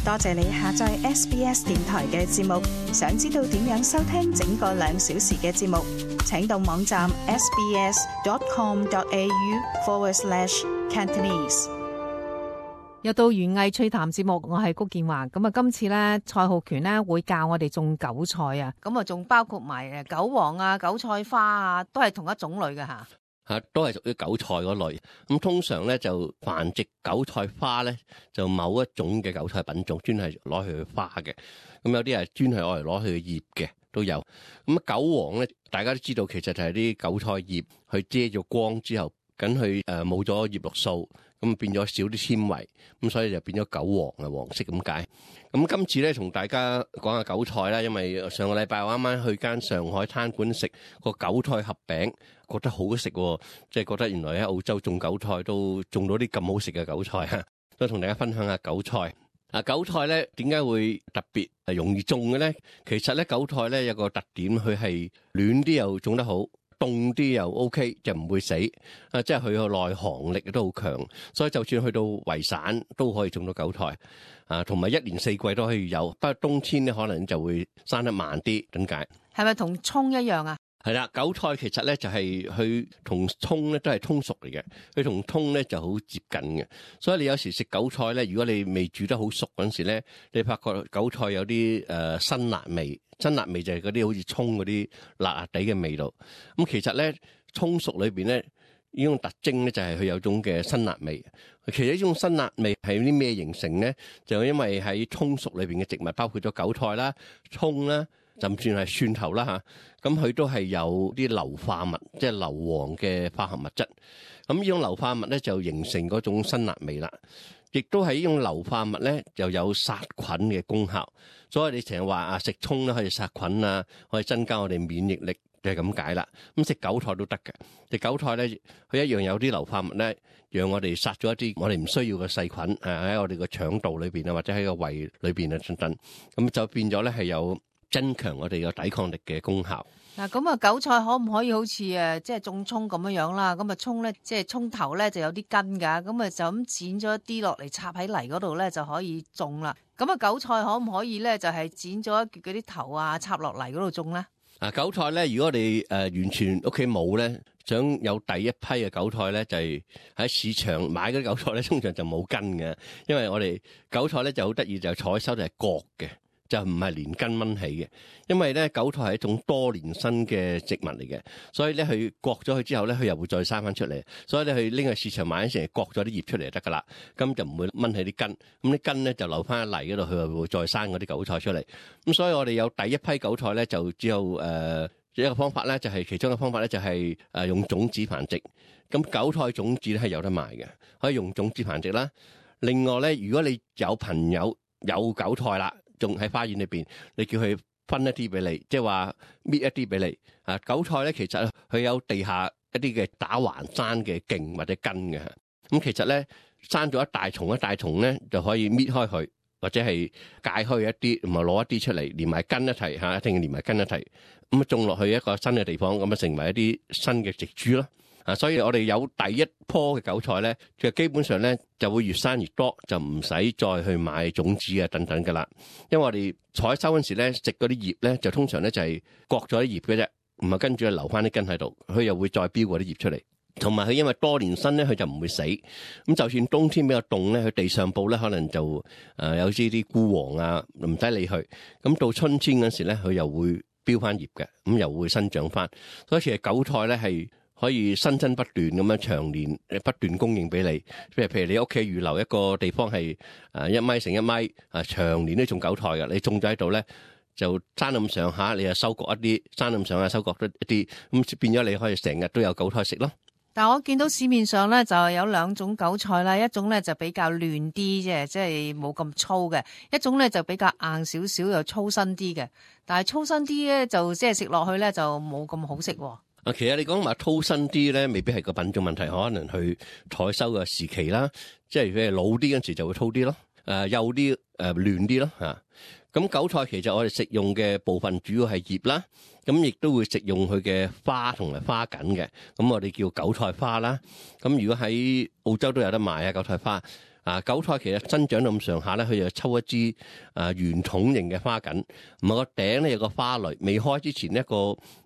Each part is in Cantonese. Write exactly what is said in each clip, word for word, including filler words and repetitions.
多謝你下載 S B S 電台嘅節目。想知道點樣收聽整個兩小時嘅節目，請到網站 sbs.com.au forward slash Cantonese。又到園藝趣談節目，我係谷建華。咁啊，今次咧蔡浩權咧會教我哋種韭菜啊，咁啊仲包括埋誒韭黃啊、韭菜花啊，都係同一種類嘅吓。吓，都係屬於韭菜嗰類。咁通常咧就繁殖韭菜花咧，就某一種嘅韭菜品種，專係攞去花嘅。咁有啲係專係攞嚟攞去葉嘅都有。咁韭黃咧，大家都知道其實就係啲韭菜葉去遮咗光之後，緊去誒冇咗葉綠素，咁變咗少啲纖維，咁所以就變咗韭黃啊，黃色咁解。咁今次咧同大家講下韭菜啦，因為上個禮拜我啱啱去間上海餐館食個韭菜盒餅，覺得好食喎，即係覺得原來喺澳洲種韭菜都種到啲咁好食嘅韭菜啊，都同大家分享下韭菜。啊，韭菜咧點解會特別係容易種嘅咧？其實咧韭菜咧有個特點，佢係暖啲又種得好，凍啲又 OK， 就唔會死。啊，即係佢個耐寒力都好強，所以就算去到圍散都可以種到韭菜。啊，同埋一年四季都可以有，不過冬天咧可能就會生得慢啲。點解？係咪同葱一樣啊？係啦，韭菜其實咧就係佢同葱咧都係葱屬嚟嘅，佢同葱咧就好接近嘅。所以你有時食韭菜咧，如果你未煮得好熟嗰陣時咧，你發覺韭菜有啲誒辛辣味，辛辣味就係嗰啲好似葱嗰啲辣辣地嘅味道。咁其實咧葱屬裏邊咧呢種特徵咧就係佢有種嘅辛辣味。其實呢種辛辣味係啲咩形成咧？就因為喺葱屬裏邊嘅植物，包括咗韭菜啦、葱啦，甚至係蒜頭啦嚇，咁佢都係有啲硫化物，即係硫磺嘅化合物質。咁呢種硫化物咧就形成嗰種辛辣味啦。亦都係呢種硫化物咧就有殺菌嘅功效。所以你成日話啊食葱咧可以殺菌啊，可以增加我哋免疫力，就係咁解啦。咁食韭菜都得嘅，食韭菜咧佢一樣有啲硫化物咧，讓我哋殺咗一啲我哋唔需要嘅細菌誒喺我哋個腸道裏邊啊，或者喺個胃裏邊啊等等。咁就變咗咧係有增強我哋個抵抗力嘅功效。嗱，咁啊，韭菜可唔可以好似誒，即係種葱咁樣樣啦？咁啊，葱咧，即係葱頭咧就有啲根㗎，咁啊就咁剪咗一啲落嚟插喺泥嗰度咧就可以種啦。咁啊，韭菜可唔可以咧就係剪咗一橛嗰啲頭啊插落泥嗰度種咧？啊，韭菜咧，如果我哋誒、呃、完全屋企冇咧，想有第一批嘅韭菜咧，就係、是、喺市場買嗰啲韭菜咧，通常就冇根嘅，因為我哋韭菜咧就好得意，就採收就係割嘅。就唔係連根掹起嘅，因為咧韭菜係一種多年生嘅植物嚟嘅，所以咧佢割咗佢之後咧，佢又會再生翻出嚟，所以咧佢拎去市場買嗰時，割咗啲葉出嚟就得噶啦，咁就唔會掹起啲根，咁啲根咧就留翻喺泥嗰度，佢又會再生嗰啲韭菜出嚟。咁所以我哋有第一批韭菜咧，就只有誒、呃、一個方法咧，就係、是、其中一個方法咧，就係、是、誒、呃、用種子繁殖。咁韭菜種子咧係有得賣嘅，可以用種子繁殖啦。另外咧，如果你有朋友有韭菜啦，種喺花園裏邊，你叫佢分一啲俾你，即係話搣一啲俾你。啊，韭菜咧其實佢有地下一啲嘅打橫生嘅莖或者根嘅。咁其實咧生咗一大叢一大叢咧，就可以搣開佢，或者係解開一啲，同埋攞一啲出嚟，連埋根一齊嚇，一定要連埋根一齊。咁啊種落去一個新嘅地方，咁啊成為一啲新嘅植株咯。啊，所以我哋有第一樖嘅韭菜咧，就基本上咧就會越生越多，就唔使再去買種子啊等等噶啦。因為我哋採收嗰陣時咧，食嗰啲葉咧，就通常咧就係割咗啲葉嘅啫，唔係跟住留翻啲根喺度，佢又會再飆嗰啲葉出嚟。同埋佢因為多年生咧，佢就唔會死。咁就算冬天比較凍咧，佢地上部咧可能就誒、呃、有啲啲枯黃啊，唔使理佢。咁到春天嗰時咧，佢又會飆翻葉嘅，咁又會生長翻。所以其實韭菜咧係可以新增不斷咁樣長年不斷供應俾你，譬如譬如你屋企預留一個地方係誒一米乘一米，啊長年都種韭菜嘅，你種咗喺度咧就生咁上下，你又收割一啲，生咁上下收割得一啲，咁變咗你可以成日都有韭菜食咯。但我見到市面上咧就有兩種韭菜啦，一種咧就比較嫩啲啫，即係冇咁粗嘅；一種咧就比較硬少少又粗身啲嘅。但係粗身啲咧就即係食落去咧就冇咁好食喎。啊，其實你講話粗身啲咧，未必係個品種問題，可能去採收嘅時期啦，即係佢係老啲嗰陣時就會粗啲咯，誒幼啲誒嫩啲咯嚇。咁韭菜其實我哋食用嘅部分主要係葉啦，咁亦都會食用佢嘅花同埋花梗嘅，咁我哋叫韭菜花啦。咁如果喺澳洲都有得賣啊韭菜花，啊，韭菜其實生長到咁上下咧，佢就抽一支啊圓筒形嘅花梗，唔係個頂咧有個花蕾，未開之前一個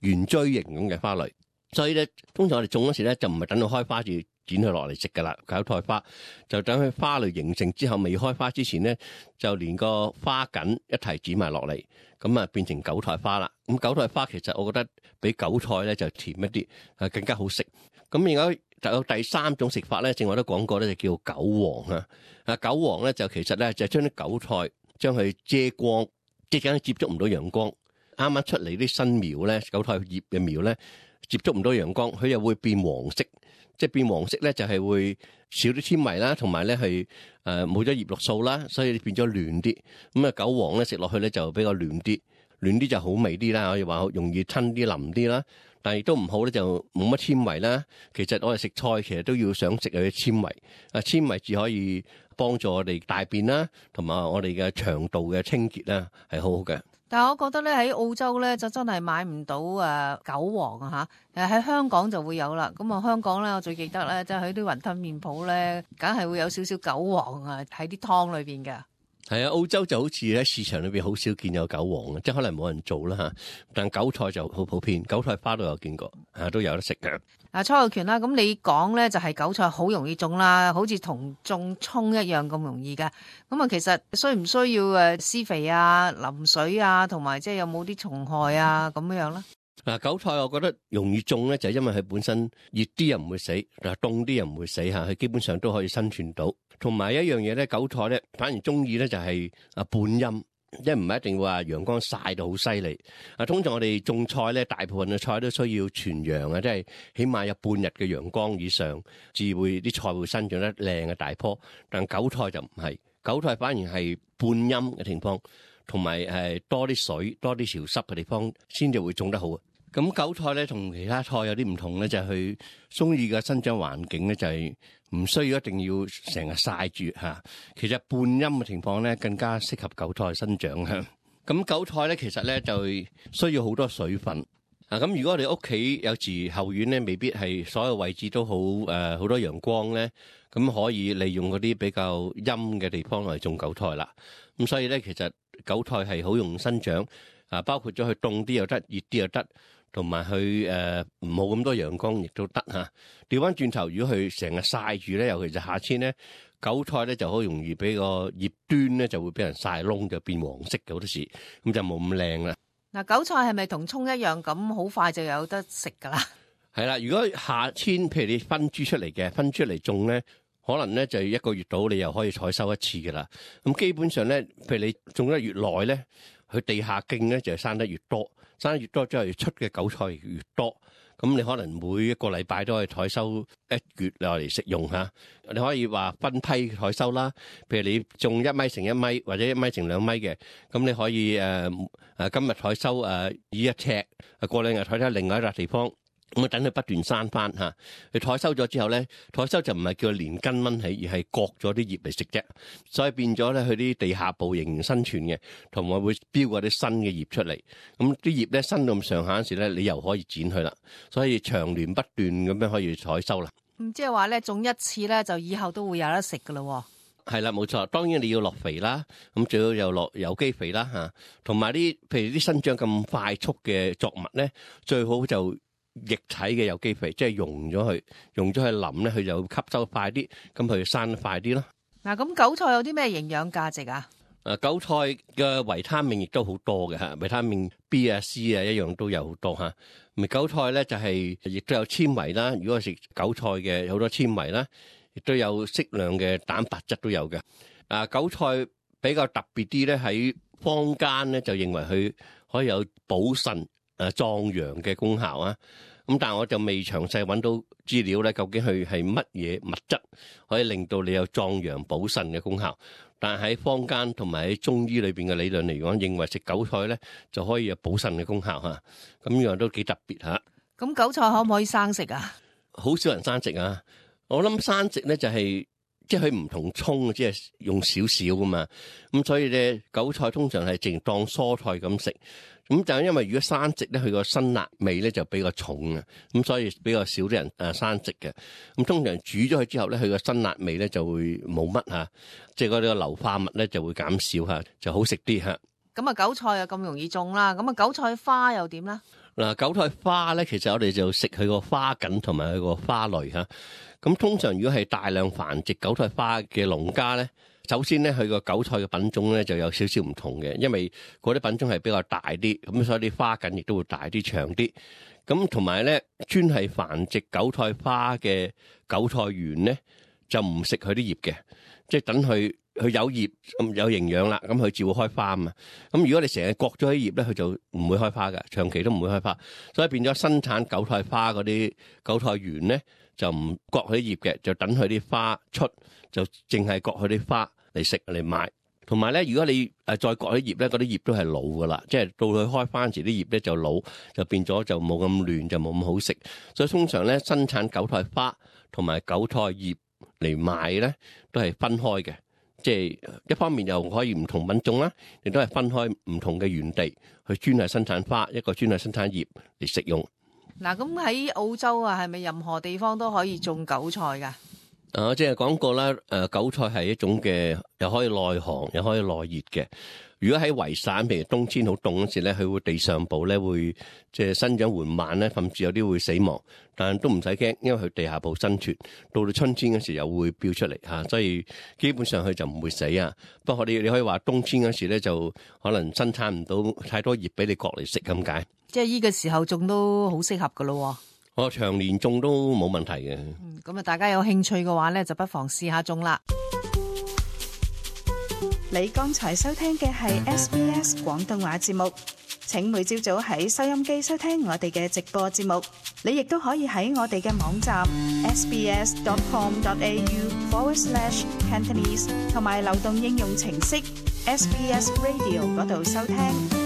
圓錐形咁嘅花蕾。所以咧，通常我哋種嗰時咧就唔係等到開花至剪佢落嚟食噶啦，韭菜花就等佢花蕾形成之後，未開花之前咧，就連個花梗一齊剪埋落嚟，咁啊變成韭菜花啦。咁韭菜花其實我覺得比韭菜咧就甜一啲，啊更加好食。咁而家就有第三種食法咧，正話都講過咧，就叫韭黃啊。啊韭黃咧就其實咧就將啲韭菜將佢遮光，即係接觸唔到陽光。啱啱出嚟啲新苗咧，韭菜葉嘅苗咧接觸唔到陽光，佢又會變黃色。即係變黃色咧，就係會少啲纖維啦，同埋咧係誒冇咗葉綠素啦，所以變咗嫩啲。咁啊韭黃咧食落去咧就比較嫩啲，嫩啲就好味啲啦，可以話容易吞啲腍啲啦。但係亦都唔好咧，就冇乜纖維啦。其實我哋食菜其實都要想食佢嘅纖維，啊纖維至可以幫助我哋大便啦，同埋我哋嘅腸道嘅清潔啦，係好好嘅。但係我覺得咧喺澳洲咧就真係買唔到誒韭黃啊嚇，誒喺香港就會有啦。咁啊香港咧我最記得咧，即係喺啲雲吞麵鋪咧，梗係會有少少韭黃啊喺啲湯裏邊嘅。係啊，澳洲就好似喺市場裏邊好少見有韭黃嘅，即係可能冇人做啦嚇。但韭菜就好普遍，韭菜花都有見過，啊都有得食嘅。啊，蔡浩權啦，咁你講咧就係韭菜好容易種啦，好似同種葱一樣咁容易嘅。咁啊，其實需唔需要誒施肥啊、淋水啊，同埋即係有冇啲蟲害啊咁樣咧？嗱，韭菜我覺得容易種咧，就係因為佢本身熱啲又唔會死，嗱凍啲又唔會死嚇，佢基本上都可以生存到。同埋一樣嘢咧，韭菜咧反而中意咧就係啊半陰，即係唔係一定話陽光曬到好犀利。啊，通常我哋種菜咧，大部分嘅菜都需要全陽啊，即係起碼有半日嘅陽光以上，至會啲菜會生長得靚嘅大棵。但韭菜就唔係，韭菜反而係半陰嘅情況，同埋係多啲水、多啲潮濕嘅地方先至會種得好。咁韭菜咧同其他菜有啲唔同咧，就係佢中意嘅生長環境咧，就係唔需要一定要成日曬住嚇。其實半陰嘅情況咧，更加適合韭菜生長嚇。咁韭菜咧，其實咧就需要好多水分啊。咁如果我哋屋企有時後院咧，未必係所有位置都好誒好多陽光咧，咁可以利用嗰啲比較陰嘅地方嚟種韭菜啦。咁所以咧，其實韭菜係好容易生長啊，包括咗佢凍啲又得，熱啲又得。同埋佢誒冇咁多陽光亦都得嚇。調翻轉頭，如果佢成日曬住咧，尤其是夏天咧，韭菜咧就好容易俾個葉端咧就會俾人曬燶，就變黃色嘅好多時，咁就冇咁靚啦。嗱，韭菜係咪同葱一樣咁好快就有得食㗎啦？係啦，如果夏天譬如你分株出嚟嘅，分株嚟種咧，可能咧就一個月到你又可以採收一次㗎啦。咁基本上咧，譬如你種得越耐咧，佢地下莖咧就生得越多。生得越多，即係出嘅韭菜越多，咁你可能每一個禮拜都可以採收一月落嚟食用嚇。你可以話分批採收啦，譬如你種一米乘一米或者一米乘兩米嘅，咁你可以誒誒、呃、今日採收誒以一尺，過兩日採收另外一笪地方。咁啊，等佢不斷生翻嚇。佢採收咗之後咧，採收就唔係叫連根掹起，而係割咗啲葉嚟食啫。所以變咗咧，佢啲地下部仍然生存嘅，同埋會標嗰啲新嘅葉出嚟。咁啲葉咧生到咁上下嗰時咧，你又可以剪佢啦。所以長年不斷咁樣可以採收啦。咁即係話咧，種一次咧，就以後都會有得食噶咯。係啦，冇錯。當然你要落肥啦，咁最好又落有機肥啦嚇。同埋啲譬如啲生長咁快速嘅作物咧，最好就液體嘅有機肥，即係溶咗佢，溶咗佢淋咧，佢就吸收快啲，咁佢生得快啲咯。嗱，咁韭菜有啲咩營養價值啊？誒，韭菜嘅維他命亦都好多嘅嚇，維他命 B 啊、C 啊一樣都有好多嚇。咪韭菜咧就係亦都有纖維啦，如果食韭菜嘅好多纖維啦，亦都有適量嘅蛋白質都有嘅。啊，韭菜比較特別啲咧，喺坊間咧就認為佢可以有補腎誒壯陽嘅功效啊，咁但係我就未詳細揾到資料咧，究竟佢係乜嘢物質可以令到你有壯陽補腎嘅功效？但係喺坊間同埋喺中醫裏邊嘅理論嚟講，認為食韭菜咧就可以有補腎嘅功效嚇，咁呢樣都幾特別嚇。咁韭菜可唔可以生食啊？好少人生食啊！我諗生食咧就係即係佢唔同葱，即係用少少噶嘛，咁所以咧韭菜通常係淨當蔬菜咁食。咁就因為如果生植咧，佢個辛辣味咧就比較重啊，咁所以比較少啲人誒生植嘅。咁通常煮咗佢之後咧，佢個辛辣味咧就會冇乜嚇，即係嗰啲硫化物咧就會減少嚇，就好食啲嚇。咁啊，韭菜又咁容易種啦，咁啊，韭菜花又點啦？嗱，韭菜花咧，其實我哋就食佢個花梗同埋佢個花蕾嚇。咁通常如果係大量繁殖韭菜花嘅農家咧，首先咧，佢個韭菜嘅品種咧就有少少唔同嘅，因為嗰啲品種係比較大啲，咁所以啲花梗亦都會大啲、長啲。咁同埋咧，專係繁殖韭菜花嘅韭菜園咧，就唔食佢啲葉嘅，即係等佢佢有葉咁有營養啦，咁佢就會開花啊嘛。咁如果你成日割咗啲葉咧，佢就唔會開花嘅，長期都唔會開花。所以變咗生產韭菜花嗰啲韭菜園咧，就唔割佢啲葉嘅，就等佢啲花出，就淨係割佢啲花嚟食嚟賣。同埋咧，如果你誒再割啲葉咧，嗰啲葉都係老噶啦，即係到佢開花時啲葉咧就老，就變咗就冇咁嫩，就冇咁好食。所以通常咧，生產韭菜花同埋韭菜葉嚟賣咧，都係分開嘅。即係一方面又可以唔同品種啦，亦都係分開唔同嘅園地去專係生產花，一個專係生產葉嚟食用。嗱，咁喺澳洲啊，係咪任何地方都可以種韭菜㗎？啊，即係講過啦，誒，韭菜係一種嘅，又可以耐寒，又可以耐熱嘅。如果喺維省，譬如冬天好凍嗰時咧，佢會地上部咧會即係生長緩慢咧，甚至有啲會死亡。但都唔使驚，因為佢地下部生存，到到春天嗰時又會飆出嚟嚇，所以基本上佢就唔會死啊。不過你你可以話冬天嗰時咧，就可能生產唔到太多葉俾你割嚟食咁解。即係依個時候種都好適合㗎咯。我長年種都冇問題嘅。嗯，咁啊，大家有興趣嘅話咧，就不妨試下種啦。你剛才收聽嘅係 S B S 廣東話節目，請每朝早喺收音機收聽我哋嘅直播節目。你亦都可以喺我哋嘅網站 sbs dot com dot a u forward slash Cantonese 同埋流動應用程式 S B S Radio 嗰度收聽。